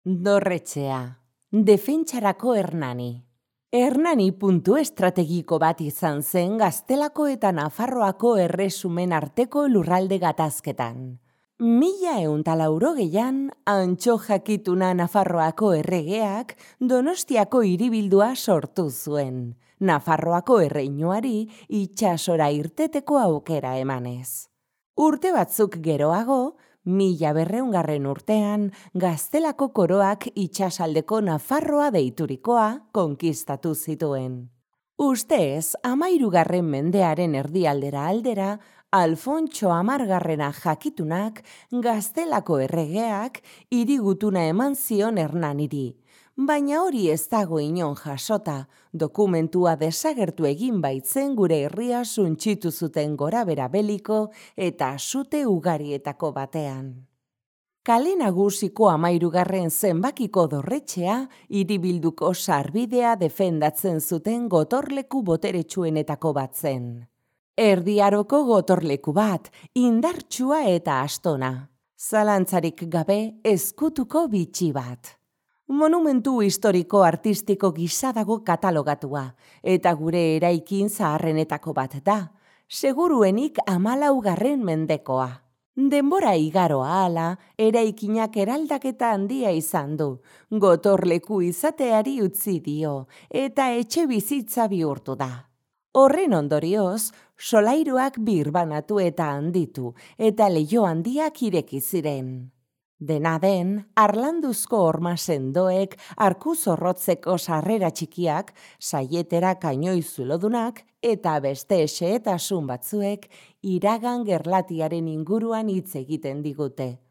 Dorretxea, defentsarako Hernani. Hernani puntu estrategiko bat izan zen Gaztelako eta Nafarroako erresumen arteko lurralde gatazketan. 1180an, Antxo Jakituna Nafarroako erregeak Donostiako hiribildua sortu zuen, Nafarroako erreinuari itsasora irteteko aukera emanez. Urte batzuk geroago, 1200 urtean, Gaztelako koroak itsasaldeko Nafarroa deiturikoa konkistatu zituen. Ustez, 13. mendearen erdialdera aldera, Alfontso Amargarrena Jakitunak Gaztelako erregeak hirigutuna eman zion Hernaniri, baina hori ez dago inon jasota, dokumentua desagertu egin baitzen gure herria suntsitu zuten gorabera beliko eta sute ugarietako batean. Kale Nagusiko 13. zenbakiko dorretxea hiribilduko sarbidea defendatzen zuten gotorleku boteretsuenetako bat zen. Erdi Aroko gotorleku bat, indartsua eta astona. Zalantzarik gabe ezkutuko bitxi bat. Monumentu historiko artistiko gisa dago katalogatua, eta gure eraikin zaharrenetako bat da, seguruenik 14. mendekoa. Denbora igaro ahala, eraikinak eraldaketa handia izan du, gotorleku izateari utzi dio, eta etxe bizitza bihurtu da. Horren ondorioz, solairuak birbanatu eta handitu, eta leiho handiak ireki ziren. Dena den, harlanduzko horma sendoek, arku zorrotzeko sarrera txikiak, saietera kainoi zulodunak, eta beste xehetasun batzuek iragan gerlatiaren inguruan hitz egiten digute.